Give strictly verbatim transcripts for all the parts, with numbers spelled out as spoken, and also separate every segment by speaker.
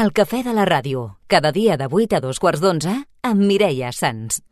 Speaker 1: El cafè de la ràdio, cada dia de vuit a dos quarts d'onze, amb Mireia Sans.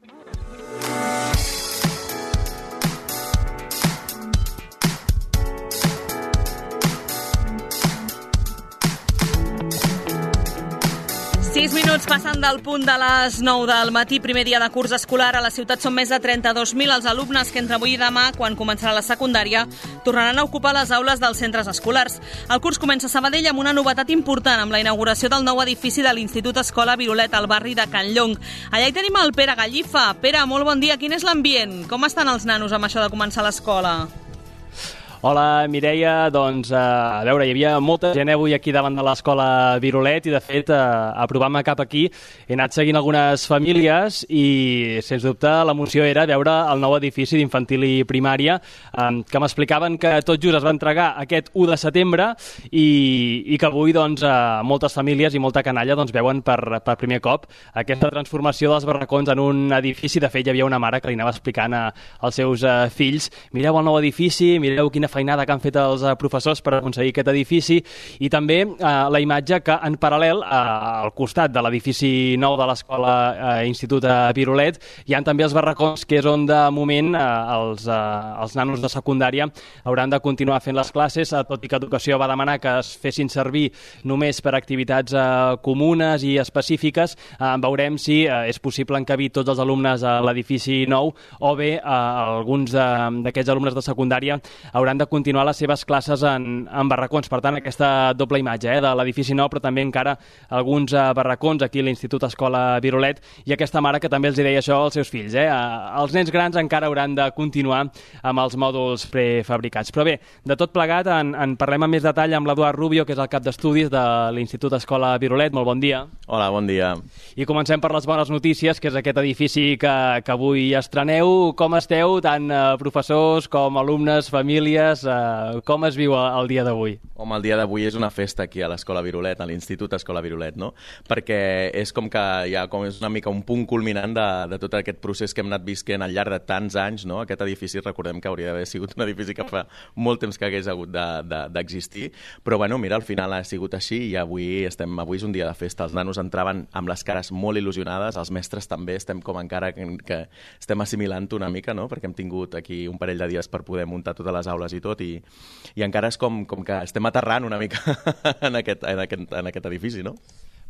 Speaker 2: Sis minuts passen del punt de les nou del matí, primer dia de curs escolar. A la ciutat són més de trenta-dos mil els alumnes que entre avui i demà, quan començarà la secundària, tornaran a ocupar les aules dels centres escolars. El curs comença a Sabadell amb una novetat important, amb la inauguració del nou edifici de l'Institut Escola Virolet, al barri de Can Llong. Allà hi tenim el Pere Gallifa. Pere, molt bon dia. Quin és l'ambient? Com estan els nanos amb això de començar l'escola?
Speaker 3: Hola, Mireia. Doncs, eh, a veure, hi havia molta gent avui aquí davant de l'escola Virolet i, de fet, eh, aprovant-me cap aquí, he anat seguint algunes famílies i, sens dubte, l'emoció era veure el nou edifici d'infantil i primària, eh, que m'explicaven que tot just es va entregar aquest u de setembre i, i que avui, doncs, eh, moltes famílies i molta canalla doncs, veuen per, per primer cop aquesta transformació dels barracons en un edifici. De fet, hi havia una mare que li anava explicant a, als seus eh, fills: mireu el nou edifici, mireu quina feinada que han fet els uh, professors per aconseguir aquest edifici, i també uh, la imatge que en paral·lel uh, al costat de l'edifici nou de l'escola uh, Institut uh, Virolet hi ha també els barracons, que és on de moment uh, els, uh, els nanos de secundària hauran de continuar fent les classes, uh, tot i que Educació va demanar que es fessin servir només per activitats uh, comunes i específiques. Uh, veurem si uh, és possible encabir tots els alumnes a l'edifici nou, o bé uh, alguns uh, d'aquests alumnes de secundària hauran de de continuar les seves classes en, en barracons. Per tant, aquesta doble imatge eh, de l'edifici nou, però també encara alguns uh, barracons aquí a l'Institut Escola Virolet, i aquesta mare que també els deia això als seus fills. Eh? Uh, els nens grans encara hauran de continuar amb els mòduls prefabricats. Però bé, de tot plegat en, en parlem amb més detall amb l'Eduard Rubio, que és el cap d'estudis de l'Institut Escola Virolet. Molt bon dia.
Speaker 4: Hola, bon dia.
Speaker 3: I comencem per les bones notícies, que és aquest edifici que, que avui estreneu. Com esteu, tant uh, professors com alumnes, famílies? Uh, com es viu el dia d'avui?
Speaker 4: Home, el dia d'avui és una festa aquí a l'Escola Virolet, a l'Institut Escola Virolet, no? Perquè és com que ja com és una mica un punt culminant de, de tot aquest procés que hem anat visquent al llarg de tants anys, no? Aquest edifici, recordem que hauria d'haver sigut un edifici que fa molt temps que hagués hagut d'existir, de, de, però bueno, mira, al final ha sigut així i avui estem avui és un dia de festa. Els nanos entraven amb les cares molt il·lusionades, els mestres també estem com encara que, que estem assimilant una mica, no? Perquè hem tingut aquí un parell de dies per poder muntar totes les aules i tot, i, i encara és com, com que estem aterrant una mica en aquest, en aquest, en aquest edifici, no?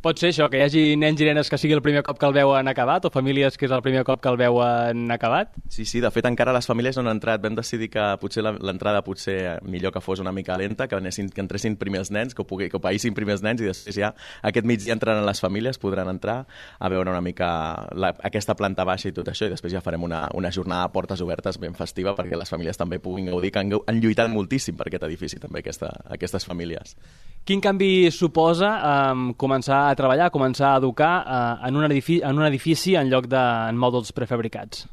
Speaker 3: Pot ser això, que hi hagi nens i nenes que sigui el primer cop que el veuen acabat, o famílies que és el primer cop que el veuen acabat?
Speaker 4: Sí, sí, de fet encara les famílies no han entrat. Vam decidir que potser l'entrada potser millor que fos una mica lenta, que, anessin, que entressin primers nens, que ho, pugui, que ho païssin primers nens, i després ja aquest migdia entraran les famílies, podran entrar a veure una mica la, aquesta planta baixa i tot això, i després ja farem una, una jornada de portes obertes ben festiva perquè les famílies també puguin gaudir, que han, han lluitat moltíssim per aquest edifici també, aquesta, aquestes famílies.
Speaker 3: Quin canvi suposa um, començar a treballar, començar a educar uh, en, un edifici, en un edifici en lloc de en mòduls prefabricats?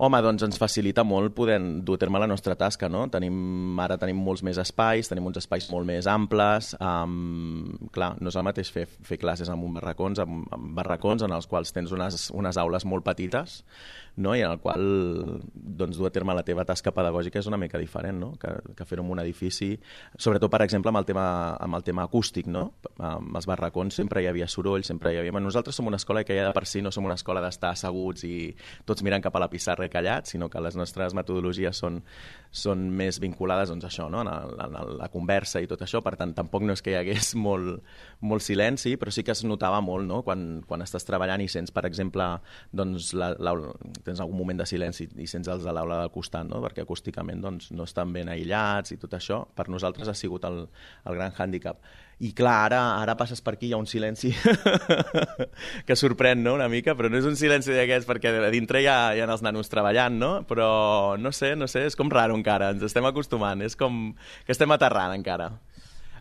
Speaker 4: Home, doncs ens facilita molt poder dur a terme la nostra tasca, no? Tenim, ara tenim molts més espais, tenim uns espais molt més amples. Um, clar, no és el mateix fer, fer classes en un barracons, en, en barracons en els quals tens unes, unes aules molt petites, no? I en el qual doncs, dur a terme la teva tasca pedagògica és una mica diferent, no? que, que fer-ho en un edifici, sobretot, per exemple, amb el tema, amb el tema acústic, no? Amb els barracons sempre hi havia soroll, sempre hi havia... Nosaltres som una escola que ja de per si no som una escola d'estar asseguts i tots mirant cap a la pissarra callats, sinó que les nostres metodologies són, són més vinculades doncs, a això, no? a, a, a la conversa i tot això. Per tant, tampoc no és que hi hagués molt, molt silenci, però sí que es notava molt, no? quan, quan estàs treballant i sents, per exemple, doncs, la, la, tens algun moment de silenci i sents els de l'aula del costat, no? Perquè acústicament doncs, no estan ben aïllats i tot això. Per nosaltres ha sigut el, el gran hàndicap. I clar, ara, ara passes per aquí, hi ha un silenci que sorprèn, no?, una mica, però no és un silenci d'aquests perquè a dintre hi ha, hi ha els nanos treballant, no? Però no sé, no sé, és com raro encara, ens estem acostumant, és com que estem aterrant encara.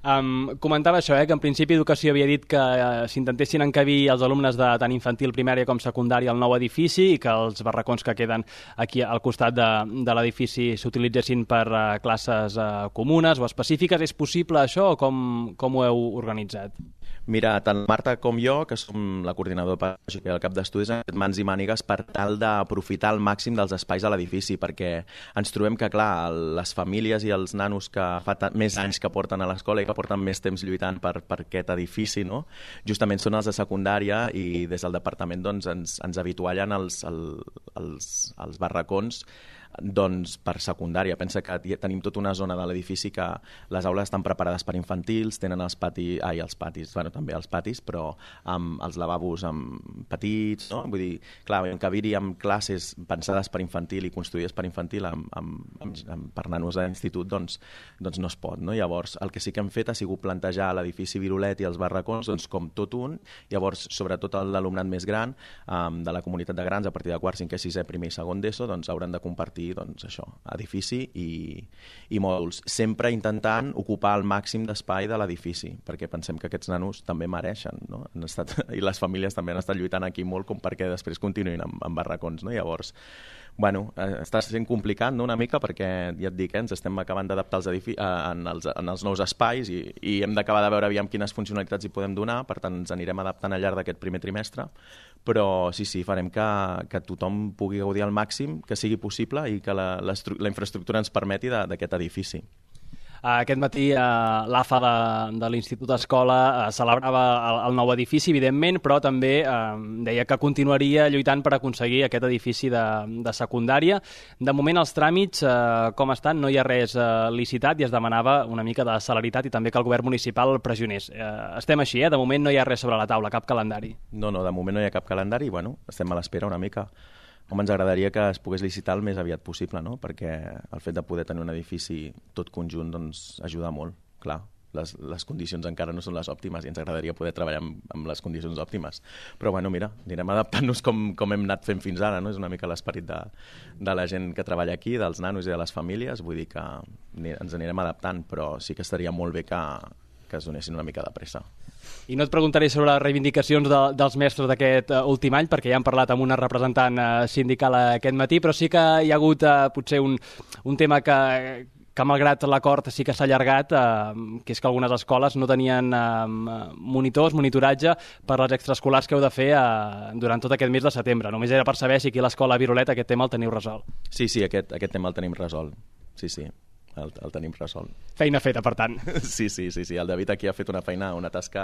Speaker 3: Um, comentava això, eh, que en principi Educació havia dit que uh, s'intentessin encabir els alumnes de tant infantil, primària com secundària al nou edifici i que els barracons que queden aquí al costat de, de l'edifici s'utilitzessin per uh, classes uh, comunes o específiques. És possible això o com, com ho heu organitzat?
Speaker 4: Mira, tant Marta com jo, que som la coordinadora pedagògica i el cap d'estudis, hem fet mans i mànigues per tal d'aprofitar al màxim dels espais de l'edifici, perquè ens trobem que, clar, les famílies i els nanos que fa més anys que porten a l'escola i que porten més temps lluitant per, per aquest edifici, no? Justament són els de secundària i des del departament doncs, ens, ens habituallen els, els, els barracons doncs per secundària. Pensa que tenim tota una zona de l'edifici que les aules estan preparades per infantils, tenen els patis, ai, els patis, bueno, també els patis, però amb els lavabos amb petits, no? Vull dir, clar, encabir-hi amb classes pensades per infantil i construïdes per infantil amb, amb, amb, amb, per nanos a l'institut, doncs, doncs no es pot, no? Llavors, el que sí que hem fet ha sigut plantejar l'edifici Virolet i els barracons doncs, com tot un, llavors, sobretot l'alumnat més gran um, de la comunitat de grans, a partir de quart, cinquè, sisè, primer i segon d'ESO, doncs hauran de compartir doncs això, edifici i, i mòduls, sempre intentant ocupar el màxim d'espai de l'edifici, perquè pensem que aquests nanos també mereixen, no? Han estat, i les famílies també han estat lluitant aquí molt com perquè després continuïn amb, amb barracons, no? Llavors, bueno, està sent complicat, no?, una mica, perquè ja et dic, eh, ens estem acabant d'adaptar als edifici, en, els, en els nous espais i, i hem d'acabar de veure aviam quines funcionalitats hi podem donar, per tant ens anirem adaptant al llarg d'aquest primer trimestre, però sí, sí, farem que, que tothom pugui gaudir al màxim, que sigui possible i que la, la, la infraestructura ens permeti d'aquest edifici.
Speaker 3: Aquest matí l'A F A de, de l'Institut Escola celebrava el, el nou edifici, evidentment, però també eh, deia que continuaria lluitant per aconseguir aquest edifici de, de secundària. De moment els tràmits, eh, com estan, no hi ha res eh, licitat i es demanava una mica de celeritat i també que el govern municipal pressionés. Eh, estem així, eh? De moment no hi ha res sobre la taula, cap calendari.
Speaker 4: No, no, de moment no hi ha cap calendari i bueno, estem a l'espera una mica. Home, ens agradaria que es pogués licitar el més aviat possible, no? Perquè el fet de poder tenir un edifici tot conjunt doncs, ajuda molt, clar. Les, les condicions encara no són les òptimes i ens agradaria poder treballar amb, amb les condicions òptimes. Però bueno, mira, anirem adaptant-nos com, com hem anat fent fins ara, no? És una mica l'esperit de, de la gent que treballa aquí, dels nanos i de les famílies, vull dir que ens anirem adaptant, però sí que estaria molt bé que, que es donessin una mica de pressa.
Speaker 3: I no et preguntaré sobre les reivindicacions de, dels mestres d'aquest uh, últim any, perquè ja hem parlat amb una representant uh, sindical aquest matí, però sí que hi ha hagut uh, potser un, un tema que, que malgrat l'acord sí que s'ha allargat, uh, que és que algunes escoles no tenien uh, monitors, monitoratge per les extraescolars que heu de fer uh, durant tot aquest mes de setembre. Només era per saber si aquí a l'escola Virolet aquest tema el teniu resolt.
Speaker 4: Sí, sí, aquest, aquest tema el tenim resolt. Sí, sí. El, el tenim resolt.
Speaker 3: Feina feta, per tant.
Speaker 4: Sí, sí, sí, sí. El David aquí ha fet una feina, una tasca,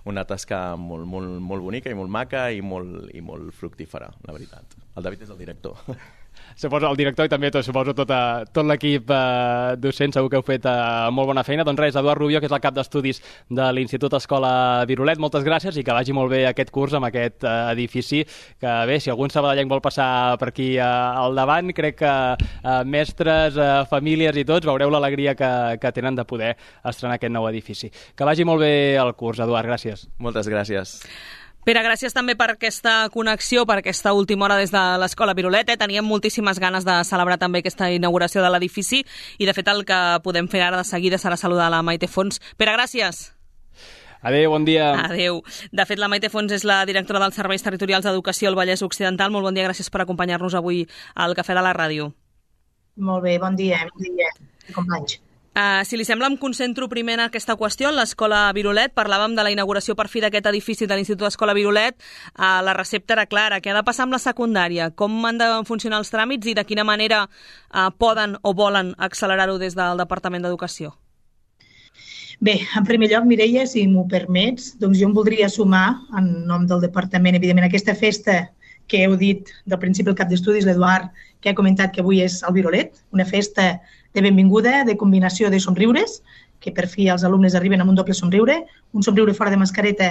Speaker 4: una tasca molt, molt, molt bonica i molt maca i molt, i molt fructífera, la veritat. El David és el director.
Speaker 3: Suposo el director i també tot, suposo tot, uh, tot l'equip uh, docent, segur que heu fet uh, molt bona feina. Doncs res, Eduard Rubio, que és el cap d'estudis de l'Institut Escola Virolet, moltes gràcies i que vagi molt bé aquest curs amb aquest uh, edifici, que bé, si algun sabadellenc vol passar per aquí uh, al davant, crec que uh, mestres, uh, famílies i tots veureu l'alegria que, que tenen de poder estrenar aquest nou edifici. Que vagi molt bé el curs, Eduard, gràcies.
Speaker 4: Moltes gràcies.
Speaker 2: Pere, gràcies també per aquesta connexió, per aquesta última hora des de l'Escola Virolet. Eh? Teníem moltíssimes ganes de celebrar també aquesta inauguració de l'edifici i, de fet, el que podem fer ara de seguida serà saludar la Maite Fons. Pere, gràcies.
Speaker 3: Adéu, bon dia.
Speaker 2: Adéu. De fet, la Maite Fons és la directora dels Serveis Territorials d'Educació al Vallès Occidental. Molt bon dia, gràcies per acompanyar-nos avui al Cafè de la Ràdio.
Speaker 5: Molt bé, bon dia, bon dia, companys.
Speaker 2: Uh, si li sembla, em concentro primer en aquesta qüestió, en l'Escola Virolet. Parlàvem de la inauguració per fi d'aquest edifici de l'Institut Escola Virolet. Uh, la recepta era clara. Què ha de passar amb la secundària? Com han de funcionar els tràmits i de quina manera uh, poden o volen accelerar-ho des del Departament d'Educació?
Speaker 5: Bé, en primer lloc, Mireia, si m'ho permets, doncs jo em voldria sumar, en nom del Departament, evidentment, aquesta festa que heu dit del principi el cap d'estudis, l'Eduard, que ha comentat que avui és el Virolet, una festa de benvinguda, de combinació de somriures, que per fi els alumnes arriben amb un doble somriure, un somriure fora de mascareta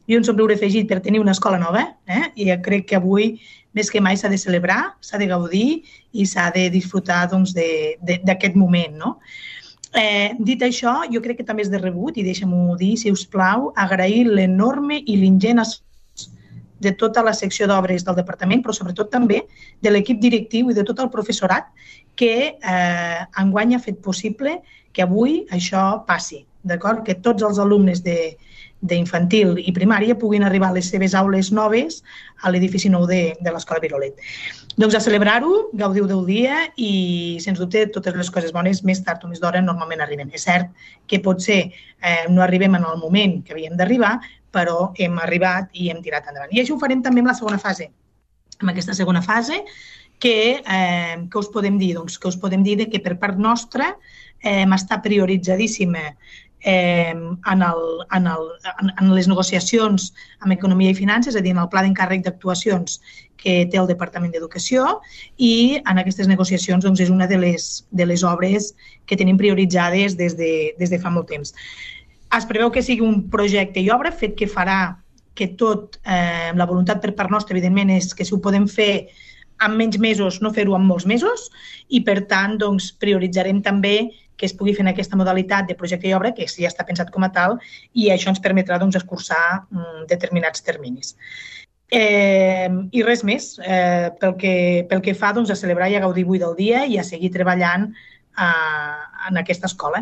Speaker 5: i un somriure afegit per tenir una escola nova. Eh? I crec que avui, més que mai, s'ha de celebrar, s'ha de gaudir i s'ha de disfrutar doncs, d'aquest moment. No? Eh, dit això, jo crec que també és de rebut, i deixa'm-ho dir, si us plau, agrair l'enorme i l'ingent esforç de tota la secció d'obres del departament, però sobretot també de l'equip directiu i de tot el professorat que eh, enguany ha fet possible que avui això passi, d'acord? Que tots els alumnes de, d'infantil i primària puguin arribar a les seves aules noves a l'edifici nou de, de l'Escola Virolet. Doncs a celebrar-ho, gaudiu del dia i, sens dubte, totes les coses bones més tard o més d'hora normalment arriben. És cert que potser eh, no arribem en el moment que havíem d'arribar, però hem arribat i hem tirat endavant. I això ho farem també amb la segona fase. En aquesta segona fase, que, eh, que us podem dir? Doncs que us podem dir que per part nostra eh, està prioritzadíssima Eh, en, el, en, el, en, en les negociacions amb Economia i Finances, és a dir, en el pla d'encàrrec d'actuacions que té el Departament d'Educació, i en aquestes negociacions doncs, és una de les, de les obres que tenim prioritzades des de, des de fa molt temps. Es preveu que sigui un projecte i obra, fet que farà que tot, eh, la voluntat per part nostra, evidentment, és que si ho podem fer en menys mesos, no fer-ho en molts mesos, i per tant doncs, prioritzarem també que es pugui fer en aquesta modalitat de projecte i obra, que ja està pensat com a tal, i això ens permetrà doncs, escurçar mm, determinats terminis. Eh, I res més, eh, pel, que, pel que fa doncs, a celebrar i a gaudir avui del dia i a seguir treballant eh, en aquesta escola.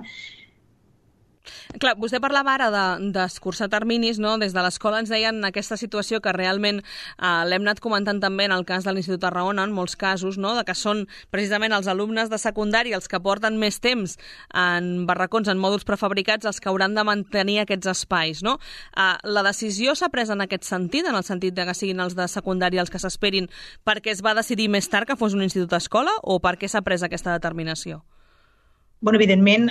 Speaker 2: Clar, vostè parlava ara d'escurçar de, terminis, no? Des de l'escola ens deien aquesta situació que realment eh, l'hem anat comentant també en el cas de l'Institut Tarragona, en molts casos, no? De que són precisament els alumnes de secundària els que porten més temps en barracons, en mòduls prefabricats, els que hauran de mantenir aquests espais, no? Eh, la decisió s'ha pres en aquest sentit, en el sentit de que siguin els de secundària els que s'esperin perquè es va decidir més tard que fos un institut escola, o per què s'ha pres aquesta determinació?
Speaker 5: Bueno, evidentment,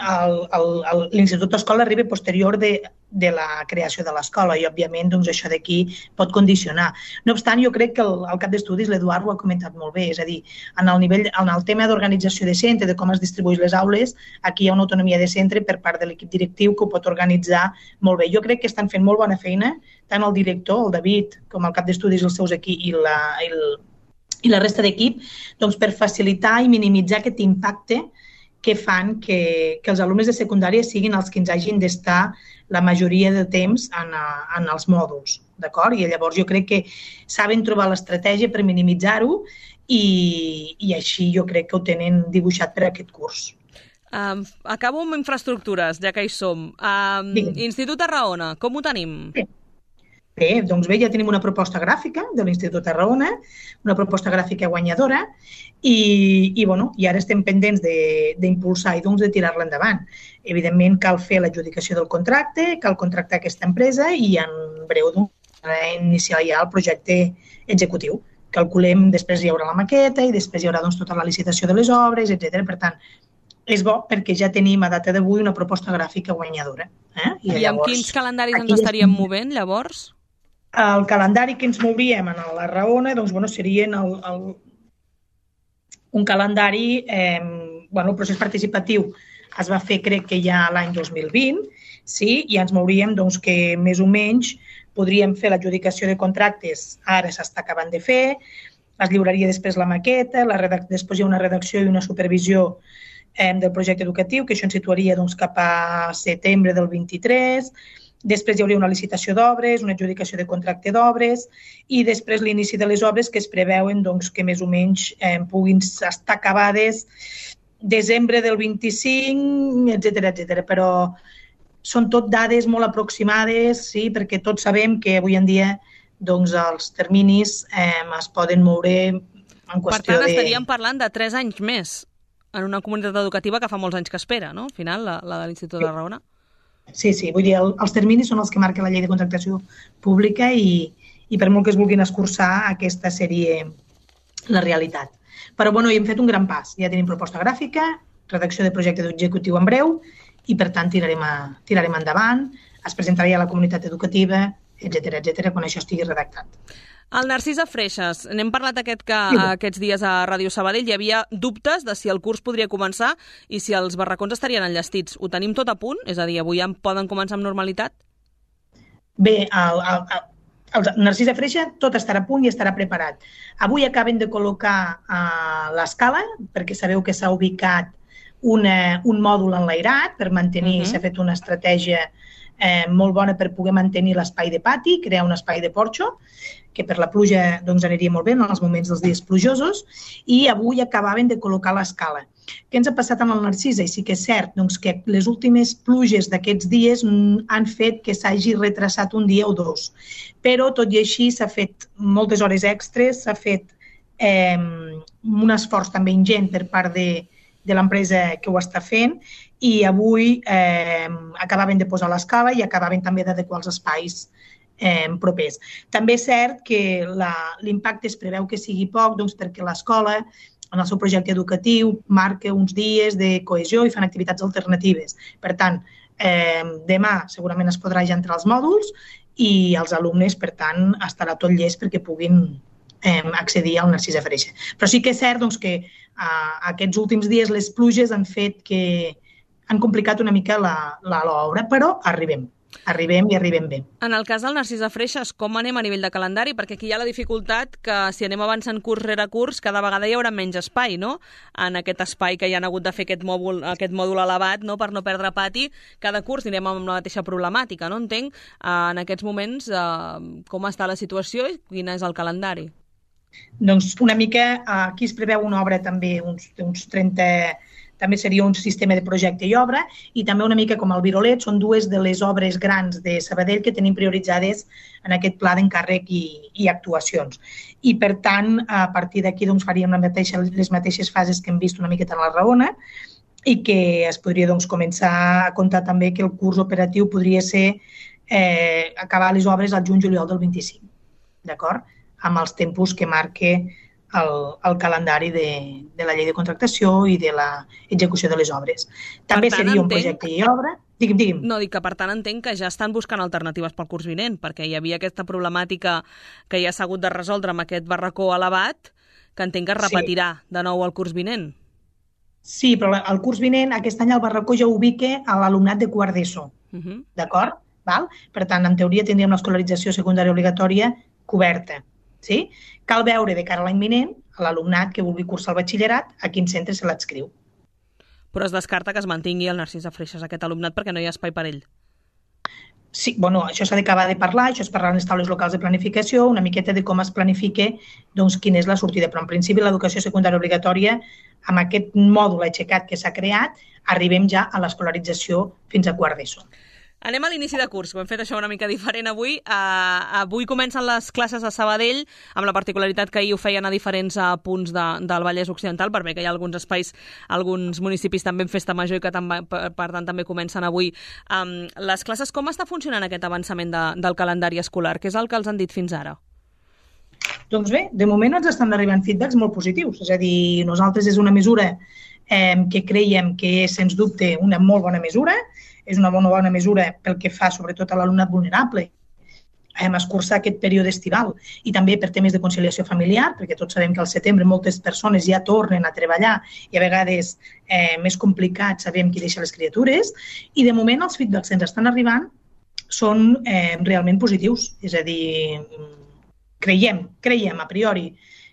Speaker 5: l'Institut Escola arriba posterior de, de la creació de l'escola i, òbviament, doncs, això d'aquí pot condicionar. No obstant, jo crec que el, el cap d'estudis, l'Eduard, ho ha comentat molt bé. És a dir, en el, nivell, en el tema d'organització de centre, de com es distribueix les aules, aquí hi ha una autonomia de centre per part de l'equip directiu que ho pot organitzar molt bé. Jo crec que estan fent molt bona feina, tant el director, el David, com el cap d'estudis, els seus aquí, i la, el, i la resta d'equip, doncs, per facilitar i minimitzar aquest impacte que fan que, que els alumnes de secundària siguin els que ens hagin d'estar la majoria de temps en, en els mòduls, d'acord? I llavors jo crec que saben trobar l'estratègia per minimitzar-ho i, i així jo crec que ho tenen dibuixat per aquest curs.
Speaker 2: Um, acabo amb infraestructures, ja que hi som. Um, Institut Tarragona, com ho tenim?
Speaker 5: Bé. Bé, doncs bé, ja tenim una proposta gràfica de l'Institut Tarragona, una proposta gràfica guanyadora, i, i, bueno, i ara estem pendents d'impulsar i doncs, de tirar-la endavant. Evidentment, cal fer l'adjudicació del contracte, cal contractar aquesta empresa i en breu doncs, iniciar ja el projecte executiu. Calculem, després hi haurà la maqueta i després hi haurà doncs, tota la licitació de les obres, etcètera. Per tant, és bo perquè ja tenim a data d'avui una proposta gràfica guanyadora. Eh? I,
Speaker 2: I llavors, amb quins calendaris ens estaríem movent, llavors?
Speaker 5: El calendari que ens mouríem a la Raona doncs, bueno, serien el, el, un calendari, eh, bueno, el procés participatiu es va fer crec que ja l'any dos mil vint, sí, i ens mouríem doncs, que més o menys podríem fer l'adjudicació de contractes, ara s'està acabant de fer, es lliuraria després la maqueta, la redac- després hi ha una redacció i una supervisió eh, del projecte educatiu, que això ens situaria doncs, cap a setembre del vint-i-tres, després hi hauria una licitació d'obres, una adjudicació de contracte d'obres i després l'inici de les obres que es preveuen doncs, que més o menys eh, puguin estar acabades desembre del vint-i-cinc, etcètera, etcètera. Però són tot dades molt aproximades, sí, perquè tots sabem que avui en dia doncs, els terminis eh, es poden moure en qüestió de...
Speaker 2: Per tant, estaríem de... parlant de tres anys més en una comunitat educativa que fa molts anys que espera, no? Al final, la, la de l'Institut de Tarragona.
Speaker 5: Sí, sí, vull dir, el, els terminis són els que marca la llei de contractació pública i, i per molt que es vulguin escurçar, aquesta seria la realitat. Però, bueno, hi hem fet un gran pas. Ja tenim proposta gràfica, redacció de projecte executiu en breu i, per tant, tirarem, a, tirarem endavant, es presentarà a la comunitat educativa, etcètera, etcètera, quan això estigui redactat.
Speaker 2: El Narcís a Freixes, n'hem parlat aquest que, aquests dies a Ràdio Sabadell, hi havia dubtes de si el curs podria començar i si els barracons estarien enllestits. Ho tenim tot a punt? És a dir, avui ja poden començar amb normalitat?
Speaker 5: Bé, el, el, el Narcís a Freixa tot estarà a punt i estarà preparat. Avui acaben de col·locar uh, l'escala, perquè sabeu que s'ha ubicat una, un mòdul enlairat per mantenir, uh-huh. s'ha fet una estratègia eh, molt bona per poder mantenir l'espai de pati, crear un espai de porxo, que per la pluja doncs, aniria molt bé en els moments dels dies plujosos, i avui acabaven de col·locar l'escala. Què ens ha passat amb el Narcisa? I sí que és cert doncs, que les últimes pluges d'aquests dies han fet que s'hagi retrasat un dia o dos. Però, tot i així, s'ha fet moltes hores extres, s'ha fet eh, un esforç també ingent per part de, de l'empresa que ho està fent, i avui eh, acabaven de posar l'escala i acabaven també d'adequar els espais Eh, propers. També és cert que l'impacte es preveu que sigui poc doncs, perquè l'escola, en el seu projecte educatiu, marca uns dies de cohesió i fan activitats alternatives. Per tant, eh, demà segurament es podrà ja entrar als mòduls i els alumnes, per tant, estarà tot llest perquè puguin eh, accedir al Narcisa Freixa. Però sí que és cert doncs, que eh, aquests últims dies les pluges han fet que han complicat una mica l'obra, però arribem. Arribem i arribem bé.
Speaker 2: En el cas del Narcisa Freixas, com anem a nivell de calendari? Perquè aquí hi ha la dificultat que si anem avançant curs rere curs, cada vegada hi haurà menys espai, no? En aquest espai que hi han hagut de fer aquest mòdul, aquest mòdul elevat, no? Per no perdre pati, cada curs anirem amb la mateixa problemàtica, no? Entenc, en aquests moments, eh, com està la situació i quin és el calendari?
Speaker 5: Doncs una mica, aquí es preveu una obra també, uns, uns trenta... També seria un sistema de projecte i obra, i també una mica com el Virolet, són dues de les obres grans de Sabadell que tenim prioritzades en aquest pla d'encàrrec i, i actuacions. I, per tant, a partir d'aquí doncs, faríem la mateixa, les mateixes fases que hem vist una miqueta en la Raona, i que es podria doncs, començar a comptar també que el curs operatiu podria ser eh, acabar les obres al juny-juliol del vint-i-cinc, d'acord? Amb els tempos que marque El, el calendari de, de la llei de contractació i de l'execució de les obres. També tant, seria un entenc... projecte i obra. Digui'm, digui'm.
Speaker 2: No, dic que per tant entenc que ja estan buscant alternatives pel curs vinent, perquè hi havia aquesta problemàtica que ja s'ha hagut de resoldre amb aquest barracó elevat, que entenc que es repetirà sí. de nou el curs vinent.
Speaker 5: Sí, però el curs vinent, aquest any el barracó ja ubica a l'alumnat de quart d'ESO. Uh -huh. D'acord? Val? Per tant, en teoria tindríem l'escolarització secundària obligatòria coberta. Sí? Cal veure de cara a l'any vinent a l'alumnat que vulgui cursar el batxillerat a quin centre se l'adscriu.
Speaker 2: Però es descarta que es mantingui el Narcisa Freixas aquest alumnat perquè no hi ha espai per ell.
Speaker 5: Sí, bueno, això s'ha d'acabar de parlar, això és parlar en les taules locals de planificació, una miqueta de com es planifica doncs, quina és la sortida. Però en principi l'educació secundària obligatòria, amb aquest mòdul aixecat que s'ha creat, arribem ja a l'escolarització fins a quart d'ESO.
Speaker 2: Anem a l'inici de curs, ho hem fet això una mica diferent avui. Uh, avui comencen les classes a Sabadell, amb la particularitat que ahir ho feien a diferents uh, punts de, del Vallès Occidental, per bé que hi ha alguns espais, alguns municipis també en festa major i que també, per, per tant també comencen avui. Um, les classes, com està funcionant aquest avançament de, del calendari escolar? Què és el que els han dit fins ara?
Speaker 5: Doncs bé, de moment ens estan arribant feedbacks molt positius. És a dir, nosaltres és una mesura eh, que creiem que és, sens dubte, una molt bona mesura. És una bona, bona mesura pel que fa sobretot a l'alumnat vulnerable, hem escurçar aquest període estival i també per temes de conciliació familiar, perquè tots sabem que al setembre moltes persones ja tornen a treballar i a vegades eh, més complicat sabem qui deixa les criatures, i de moment els feedbacks que ens estan arribant són eh, realment positius. És a dir, creiem, creiem a priori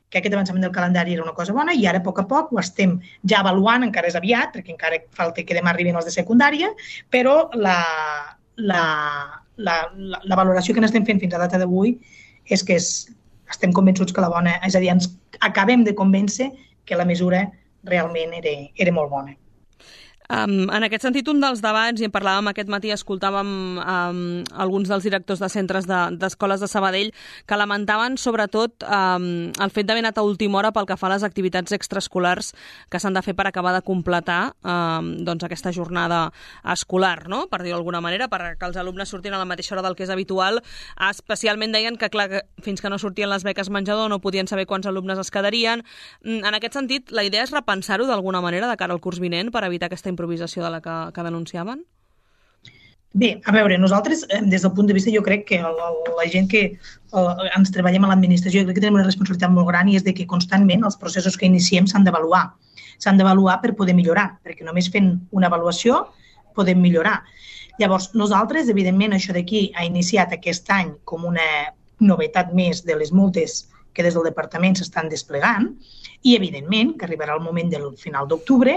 Speaker 5: que aquest avançament del calendari era una cosa bona i ara a poc a poc ho estem ja avaluant, encara és aviat, perquè encara falta que demà arribin els de secundària, però la, la, la, la, la valoració que n'estem fent fins a data d'avui és que és, estem convençuts que la bona, és a dir, ens acabem de convèncer que la mesura realment era, era molt bona.
Speaker 2: Um, en aquest sentit, un dels debats, i en parlàvem aquest matí, escoltàvem um, alguns dels directors de centres d'escoles de, de Sabadell que lamentaven sobretot um, el fet d'haver anat a última hora pel que fa a les activitats extraescolars que s'han de fer per acabar de completar um, doncs aquesta jornada escolar, no? Per dir-ho d'alguna manera, perquè els alumnes surtin a la mateixa hora del que és habitual. Especialment deien que, clar, que fins que no sortien les beques menjador no podien saber quants alumnes es quedarien. En aquest sentit, la idea és repensar-ho d'alguna manera de cara al curs vinent per evitar aquesta improvisació de la que, que denunciaven?
Speaker 5: Bé, a veure, nosaltres, des del punt de vista, jo crec que el, el, la gent que el, ens treballem a l'administració, jo crec que tenim una responsabilitat molt gran i és de que constantment els processos que iniciem s'han d'avaluar. S'han d'avaluar per poder millorar, perquè només fent una avaluació podem millorar. Llavors, nosaltres, evidentment, això d'aquí ha iniciat aquest any com una novetat més de les multes que des del departament s'estan desplegant i, evidentment, que arribarà el moment del final d'octubre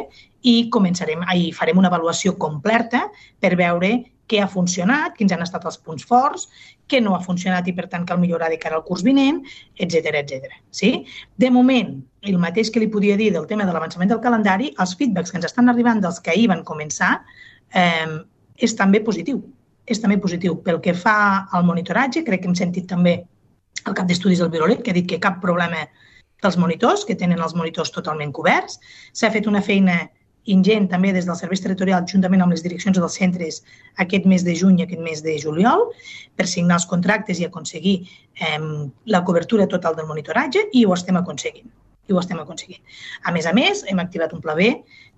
Speaker 5: i començarem, ahir farem una avaluació completa per veure què ha funcionat, quins han estat els punts forts, què no ha funcionat i, per tant, cal millorar de cara al curs vinent, etcètera, etcètera. Sí? De moment, el mateix que li podia dir del tema de l'avançament del calendari, els feedbacks que ens estan arribant dels que ahir van començar eh, és també positiu. És també positiu. Pel que fa al monitoratge, crec que hem sentit també el cap d'estudis del Virolet, que ha dit que cap problema dels monitors, que tenen els monitors totalment coberts. S'ha fet una feina ingent també des dels serveis territorials, juntament amb les direccions dels centres, aquest mes de juny i aquest mes de juliol, per signar els contractes i aconseguir eh, la cobertura total del monitoratge, i ho estem aconseguint. I ho estem aconseguint. A més a més, hem activat un pla B,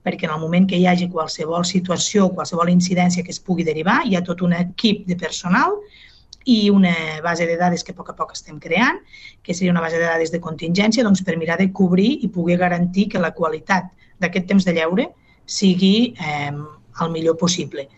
Speaker 5: perquè en el moment que hi hagi qualsevol situació, qualsevol incidència que es pugui derivar, hi ha tot un equip de personal i una base de dades que a poc a poc estem creant, que seria una base de dades de contingència, doncs, per mirar de cobrir i poder garantir que la qualitat d'aquest temps de lleure sigui eh, el millor possible.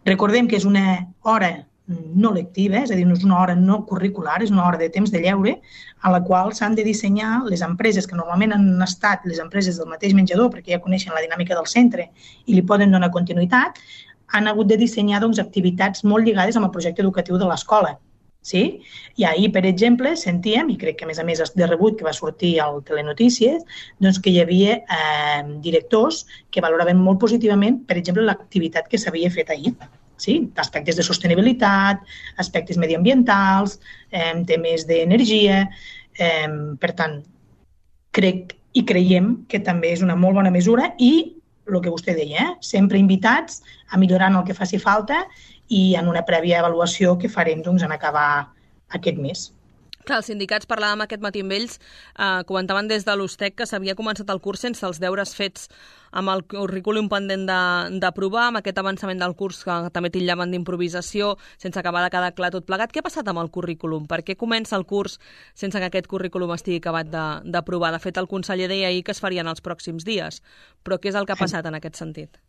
Speaker 5: Recordem que és una hora no lectiva, és a dir, no és una hora no curricular, és una hora de temps de lleure a la qual s'han de dissenyar les empreses que normalment han estat les empreses del mateix menjador, perquè ja coneixen la dinàmica del centre i li poden donar continuïtat, han hagut de dissenyar doncs, activitats molt lligades amb el projecte educatiu de l'escola. Sí? I ahir, per exemple, sentíem, i crec que a més a més de rebut que va sortir al Telenotícies, doncs que hi havia eh, directors que valoraven molt positivament, per exemple, l'activitat que s'havia fet ahir. Sí? Aspectes de sostenibilitat, aspectes mediambientals, eh, temes d'energia. Eh, per tant, crec i creiem que també és una molt bona mesura i el que vostè deia, eh? sempre invitats a millorar en el que faci falta i en una prèvia avaluació que farem doncs, en acabar aquest mes.
Speaker 2: Clar, els sindicats, parlàvem aquest matí amb ells, eh, comentaven des de l'USTEC que s'havia començat el curs sense els deures fets amb el currículum pendent d'aprovar, amb aquest avançament del curs que també titllaven d'improvisació, sense acabar de quedar clar tot plegat. Què ha passat amb el currículum? Per què comença el curs sense que aquest currículum estigui acabat d'aprovar? De, de fet, el conseller deia ahir que es farien els pròxims dies. Però què és el que ha passat en aquest sentit?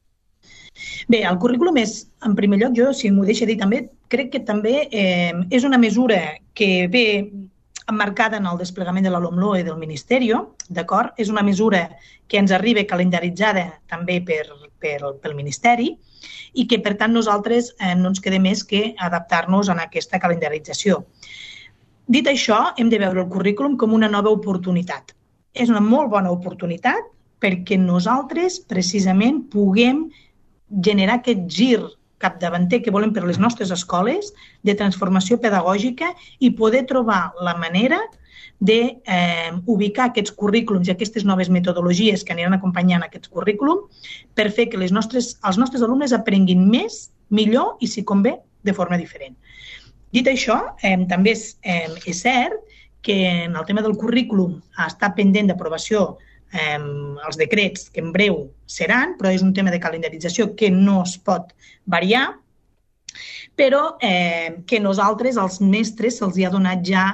Speaker 5: Bé, el currículum és, en primer lloc, jo, si m'ho deixa dir també, crec que també eh, és una mesura que ve emmarcada en el desplegament de la LOMLOE del Ministeri, d'acord? És una mesura que ens arriba calendaritzada també per, per, pel Ministeri i que, per tant, nosaltres eh, no ens queda més que adaptar-nos a aquesta calendarització. Dit això, hem de veure el currículum com una nova oportunitat. És una molt bona oportunitat perquè nosaltres, precisament, puguem generar aquest gir capdavanter que volem per les nostres escoles de transformació pedagògica i poder trobar la manera d'ubicar eh, aquests currículums i aquestes noves metodologies que aniran acompanyant aquests currículum per fer que les nostres, els nostres alumnes aprenguin més, millor i, si convé, de forma diferent. Dit això, eh, també és, eh, és cert que en el tema del currículum està pendent d'aprovació Eh, els decrets que en breu seran, però és un tema de calendarització que no es pot variar, però eh, que nosaltres, els mestres, se'ls ha donat ja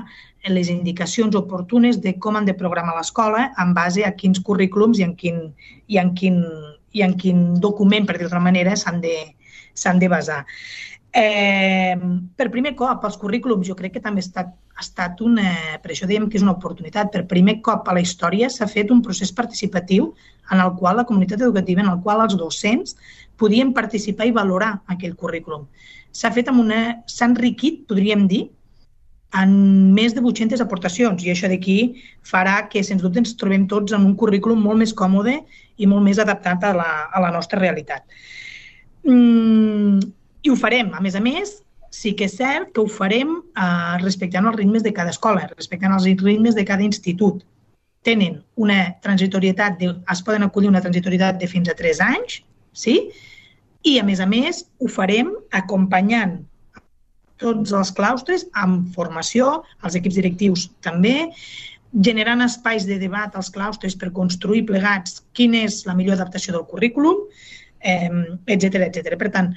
Speaker 5: les indicacions oportunes de com han de programar l'escola en base a quins currículums i en quin, i en quin, i en quin document, per dir d'altra manera, s'han de, s'han de basar. Eh, per primer cop, els currículums jo crec que també ha estat, ha estat una, per això dèiem que és una oportunitat, per primer cop a la història s'ha fet un procés participatiu en el qual la comunitat educativa, en el qual els docents podien participar i valorar aquell currículum. S'ha fet amb una, s'ha enriquit, podríem dir, en més de vuit-centes aportacions i això d'aquí farà que, sens dubte, ens trobem tots en un currículum molt més còmode i molt més adaptat a la, a la nostra realitat. Mm, I ho farem, a més a més, sí que és cert que ho farem eh, respectant els ritmes de cada escola, respectant els ritmes de cada institut. Tenen una transitorietat, de, es poden acollir una transitorietat de fins a tres anys, sí? I a més a més ho farem acompanyant tots els claustres amb formació, els equips directius també, generant espais de debat als claustres per construir plegats quina és la millor adaptació del currículum, eh, etcètera, etcètera. Per tant,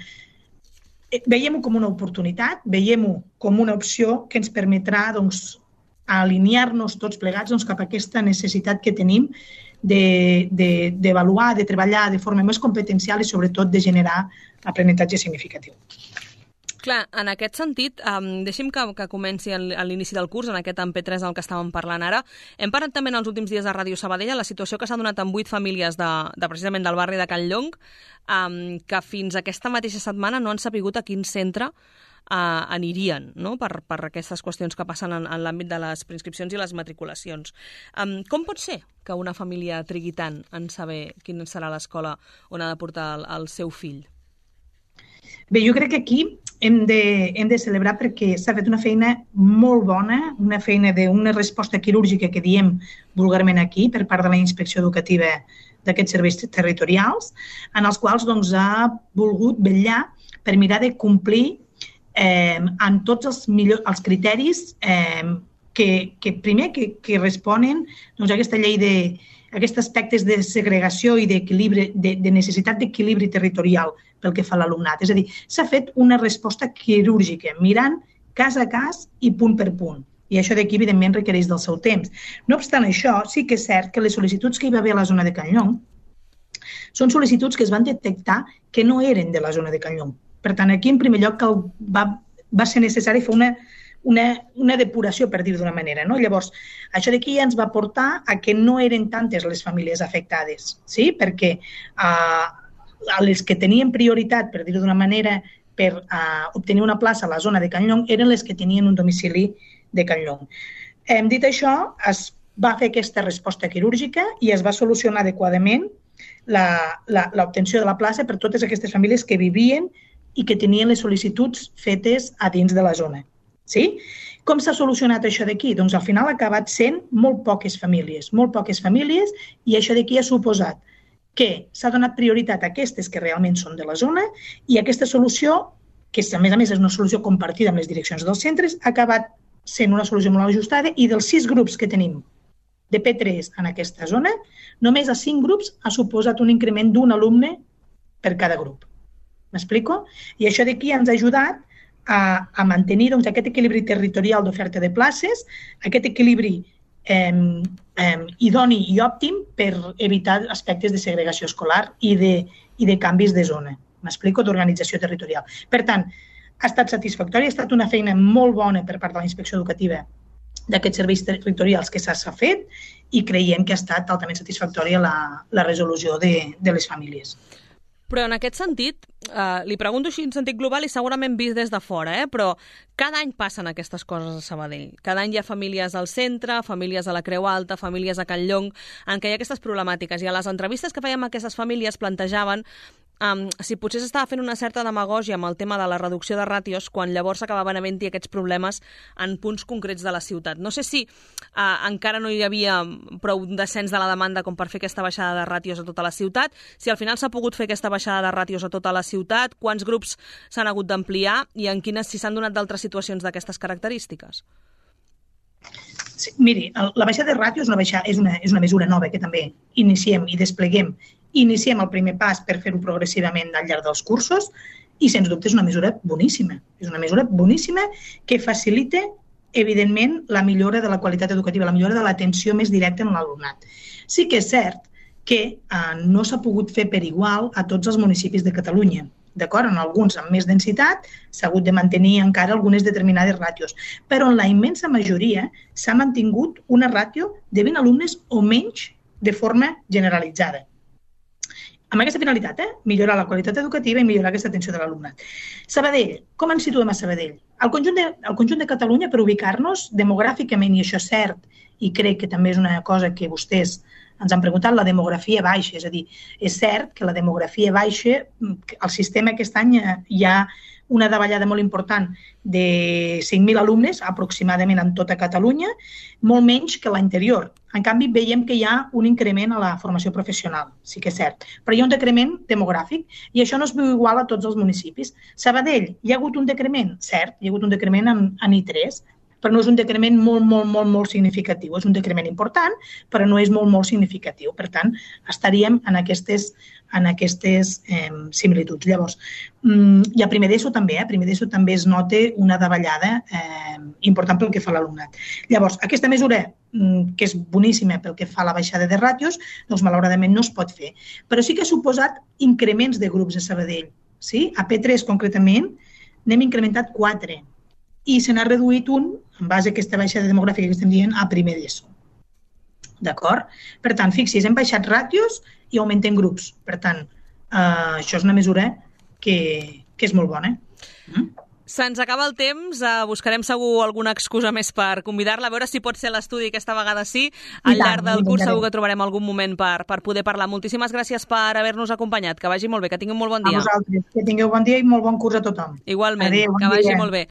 Speaker 5: veiem-ho com una oportunitat, veiem-ho com una opció que ens permetrà doncs, alinear-nos tots plegats doncs, cap a aquesta necessitat que tenim d'avaluar, de, de, de treballar de forma més competencial i sobretot de generar aprenentatge significatiu.
Speaker 2: Clar, en aquest sentit, um, deixi'm que, que comenci a l'inici del curs, en aquest en P tres del que estàvem parlant ara. Hem parlat també en els últims dies de Ràdio Sabadell la situació que s'ha donat amb vuit famílies de, de precisament del barri de Can Llong, um, que fins aquesta mateixa setmana no han sapigut a quin centre uh, anirien, no? per, per aquestes qüestions que passen en, en l'àmbit de les preinscripcions i les matriculacions. Um, com pot ser que una família trigui tant en saber quina serà l'escola on ha de portar el, el seu fill?
Speaker 5: Bé, jo crec que aquí hem de, hem de celebrar perquè s'ha fet una feina molt bona, una feina d'una resposta quirúrgica que diem vulgarment aquí per part de la Inspecció Educativa d'aquests serveis territorials, en els quals doncs, ha volgut vetllar per mirar de complir eh, amb tots els, millors, els criteris eh, que, que primer que, que responen doncs, a aquesta llei de aquests aspectes de segregació i d'equilibri, de, de necessitat d'equilibri territorial pel que fa a l'alumnat. És a dir, s'ha fet una resposta quirúrgica, mirant cas a cas i punt per punt. I això d'aquí, evidentment, requereix del seu temps. No obstant això, sí que és cert que les sol·licituds que hi va haver a la zona de Can Llong són sol·licituds que es van detectar que no eren de la zona de Can Llong. Per tant, aquí, en primer lloc, va, va ser necessari fer una, una, una depuració, per dir d'una manera. No? Llavors, això d'aquí ja ens va portar a que no eren tantes les famílies afectades, sí? Perquè eh, a les que tenien prioritat, per dir-ho d'una manera, per uh, obtenir una plaça a la zona de Can Llong, eren les que tenien un domicili de Can Llong. Hem dit això, es va fer aquesta resposta quirúrgica i es va solucionar adequadament l'obtenció de la plaça per totes aquestes famílies que vivien i que tenien les sol·licituds fetes a dins de la zona. Sí? Com s'ha solucionat això d'aquí? Doncs al final ha acabat sent molt poques famílies, molt poques famílies, i això d'aquí ha suposat que s'ha donat prioritat a aquestes que realment són de la zona i aquesta solució, que a més a més és una solució compartida amb les direccions dels centres, ha acabat sent una solució molt ajustada i dels sis grups que tenim de P tres en aquesta zona, només a cinc grups ha suposat un increment d'un alumne per cada grup. M'explico? I això d'aquí ens ha ajudat a, a mantenir doncs, aquest equilibri territorial d'oferta de places, aquest equilibri Eh, eh, idoni i òptim per evitar aspectes de segregació escolar i de, i de canvis de zona. M'explico? D'organització territorial. Per tant, ha estat satisfactori, ha estat una feina molt bona per part de la Inspecció Educativa d'aquests serveis territorials que s'ha fet i creiem que ha estat altament satisfactòria la, la resolució de, de les famílies.
Speaker 2: Però en aquest sentit, eh, li pregunto així en sentit global i segurament vist des de fora, eh? Però cada any passen aquestes coses a Sabadell. Cada any hi ha famílies al centre, famílies a la Creu Alta, famílies a Can Llong, en què hi ha aquestes problemàtiques. I a les entrevistes que fèiem a aquestes famílies plantejaven um, si potser s'estava fent una certa demagògia amb el tema de la reducció de ràtios quan llavors acabaven havent-hi aquests problemes en punts concrets de la ciutat. No sé si uh, encara no hi havia prou descens de la demanda com per fer aquesta baixada de ràtios a tota la ciutat, si al final s'ha pogut fer aquesta baixada de ràtios a tota la ciutat, quants grups s'han hagut d'ampliar i en quines, si s'han donat d'altres situacions d'aquestes característiques.
Speaker 5: Sí, miri, la baixada de ràtios és una, baixada, és, una, és una mesura nova que també iniciem i despleguem. Iniciem el primer pas per fer-ho progressivament al llarg dels cursos i, sens dubte, és una mesura boníssima. És una mesura boníssima que facilita, evidentment, la millora de la qualitat educativa, la millora de l'atenció més directa en l'alumnat. Sí que és cert que eh, no s'ha pogut fer per igual a tots els municipis de Catalunya. D'acord? En alguns amb més densitat s'ha hagut de mantenir encara algunes determinades ràtios, però en la immensa majoria s'ha mantingut una ràtio de vint alumnes o menys de forma generalitzada. Amb aquesta finalitat, eh? Millorar la qualitat educativa i millorar aquesta atenció de l'alumnat. Sabadell, com ens situem a Sabadell? El conjunt de, el conjunt de Catalunya, per ubicar-nos demogràficament, i això és cert, i crec que també és una cosa que vostès ens han preguntat, la demografia baixa. És a dir, és cert que la demografia baixa, el sistema aquest any hi ha una davallada molt important de cinc mil alumnes, aproximadament en tota Catalunya, molt menys que l'anterior. En canvi, veiem que hi ha un increment a la formació professional, sí que és cert. Però hi ha un decrement demogràfic i això no es veu igual a tots els municipis. Sabadell, hi ha hagut un decrement, cert, hi ha hagut un decrement en, en I tres, però no és un decrement molt, molt, molt, molt significatiu. És un decrement important, però no és molt, molt significatiu. Per tant, estaríem en aquestes, en aquestes eh, similituds. Llavors, i a primer d'ESO també, eh? a primer d'ESO també es nota una davallada eh, important pel que fa a l'alumnat. Llavors, aquesta mesura, que és boníssima pel que fa a la baixada de ràtios, doncs malauradament no es pot fer. Però sí que ha suposat increments de grups a Sabadell. Sí? A P tres, concretament, n'hem incrementat quatre i se n'ha reduït un, en base a aquesta baixada demogràfica que estem dient, a primer d'ESO. D'acord? Per tant, fixi's, hem baixat ràtios i augmentem grups. Per tant, eh, això és una mesura que, que és molt bona. Mm?
Speaker 2: Se'ns acaba el temps, uh, buscarem segur alguna excusa més per convidar-la, a veure si pot ser l'estudi aquesta vegada sí. Al llarg del curs segur que trobarem algun moment per, per poder parlar. Moltíssimes gràcies per haver-nos acompanyat. Que vagi molt bé, que tingui un molt bon dia.
Speaker 5: A vosaltres, que tingueu bon dia i molt bon curs a tothom.
Speaker 2: Igualment,
Speaker 5: Adéu, bon
Speaker 2: que vagi
Speaker 5: dia.
Speaker 2: molt bé.